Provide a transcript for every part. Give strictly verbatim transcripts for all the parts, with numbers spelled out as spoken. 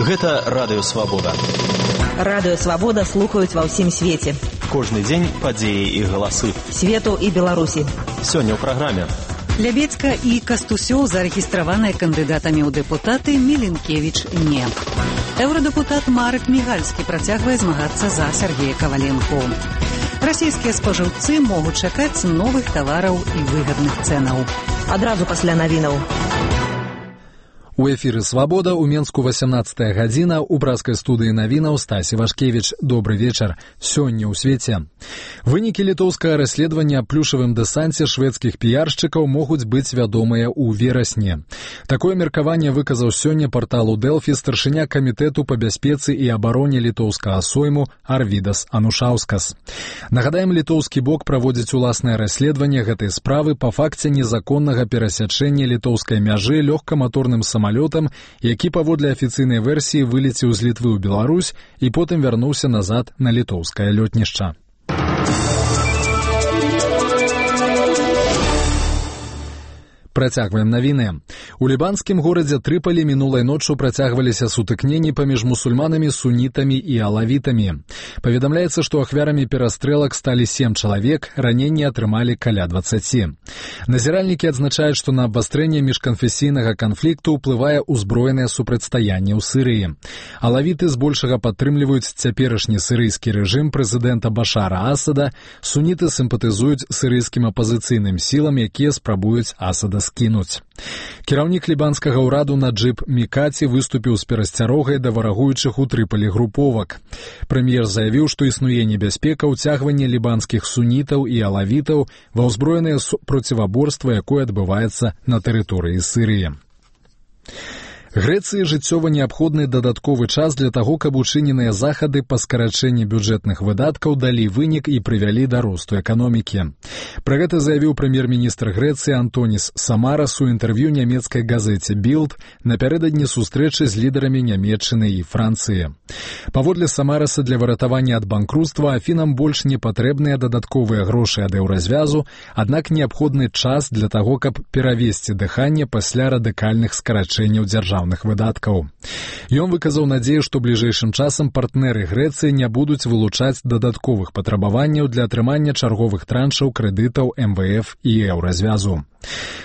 Гэта Радыё Свабода. Радыё Свабода слухаюць ва ўсім свеце. Кожны дзень падзеі і галасы. Свету і Беларусі. Сёння ў праграме. Лябедзька і Кастусёў зарэгістраваныя кандыдатамі ў дэпутаты, Меленкевіч не. Еўрадэпутат Марек Мігальскі працягвае змагацца за Сергея Каваленко. Расійскія спажыўцы могуць чакаць новых тавараў і выгадных цэнаў. Адразу пасля навінаў. У эфіры «Свабода» у Менску васямнаццатая гадзіна, у браскай студыі навінаў Стасі Вашкевіч. Добры вечар. Сёння ў свеце. Вынікі літоўскага расследавання аб плюшавым дэсанце шведскіх піяршчыкаў могуць быць вядомыя ў верасні. Такое меркаванне выказаў сёння парталу Дэлфі старшыня камітэту па бяспецы і абароне літоўскага сойму Арвідас Анушаўскас. Нагадаем, літоўскі бок праводзіць уласнае расследаванне гэтай справы па факце незаконнага перасячэння літоўскай мяжы лёгкаматорным самалётам самолетам, які паводле афіцыйнай версіі вылецеў з Літвы ў Беларусь і потым вярнуўся назад на літоўскае лётнішча. Працягваем навіны. У лібанскім горадзе Трыпалі мінулай ноччу працягваліся сутыкненні паміж мусульманамі, сунітамі і алавітамі. Паведамляецца, што ахвярамі перастрэлак сталі сем чалавек, раненні атрымалі каля дваццаці. Назіральнікі адзначаюць, што на абвастрэнне міжканфесійнага канфлікту ўплывае ўзброенае супрацьстаянне ў Сірыі. Алавіты збольшага падтрымліваюць цяперашні сірыйскі рэжым прэзідэнта Башара Асада, суніты сімпатызуюць сірыйскім апазіцыйным сілам, якія спрабуюць Асада скінуць. Кіраўнік лібанскага ўраду Наджыб Мікаці выступіў з перасцярогай да варагуючых у Трыпалі груповак. Прэм'ер заявіў, што існуе небяспека ўцягвання лібанскіх сунітаў і алавітаў ва ўзброенае проціваборства, якое адбываецца на тэрыторыі Сірыі. Грэцыі жыццёва неабходны дадатковы час для таго, каб учыненыя захады па скарачэнні бюджэтных выдаткаў далі вынік і прывялі да росту эканомікі. Пра гэта заявіў прэм'ер-міністр Грэцыі Антонис Самарас у інтэрв'ю нямецкай газеце «Білд» напярэдадні сустрэчы з лідарамі Нямецчыны і Францыі. Паводле Самараса, для выратавання ад банкруцтва Афінам больш не патрэбныя дадатковыя грошы ад еўразвязу, аднак неабходны час для таго, каб перавесці дыханне пасля радыкальных скарачэнняў дзяржаўных выдаткаў. Ён выказаў надзею, што бліжэйшым часам партнеры Грэцыі не будуць вылучаць дадатковых патрабаванняў для атрымання чарговых траншаў крэдытаў эм вэ эф і еўразвязу.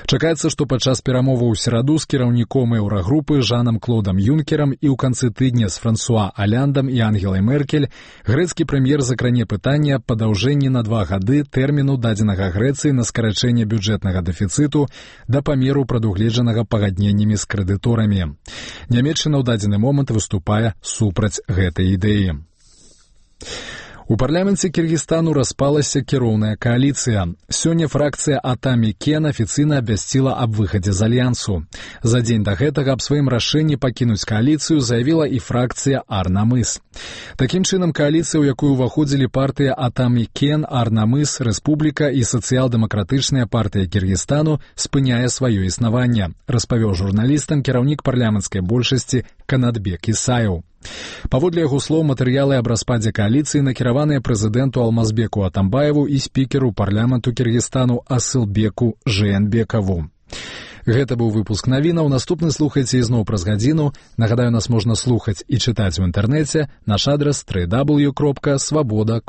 Чакаецца, што падчас перамоваў у сераду з кіраўніком еўрагрупы Жанам Клодам Юнкерам і ў канцы тыдня з Франсуа Аляндам і Ангелай Меркель грэцкі прэм'ер закране пытанне аб падаўжэнні на два гады тэрміну дадзенага Грэцыі на скарачэнне бюджэтнага дэфіцыту да памеру прадугледжанага пагадненнямі з крэдыторамі. Нямецчына ў дадзены момант выступае супраць гэтай ідэі. У парламенце Кіргізстану распалася кіроўная кааліцыя. Сёння фракцыя Атамі Кен афіцыйна абвясціла аб выхадзе з альянсу. За дзень да гэтага аб сваім рашэнні пакінуць кааліцыю заявіла і фракцыя Арнамыс. Такім чынам, кааліцыя, у якую ўваходзілі партыя Атамі Кен, Арнамыс, Рэспубліка і сацыял-дэмакратычная партыя Кіргізстану спыняе сваё існаванне, распавёў журналістам кіраўнік парламенцкай большасці Канатбек Исаев. Паводле яго слоў, матэрыялы аб распадзе кааліцыі накіраваныя прэзідэнту Алмазбеку Атамбаеву і спікеру парламенту Кіргізстану Асылбеку Жээнбекаву. Гэта быў выпуск навінаў. Наступны слухайце ізноў праз гадзіну. Нагадаю, нас можна слухаць і чытаць у інтэрнэце. Наш адрас дабл ю дабл ю дабл ю кропка свабода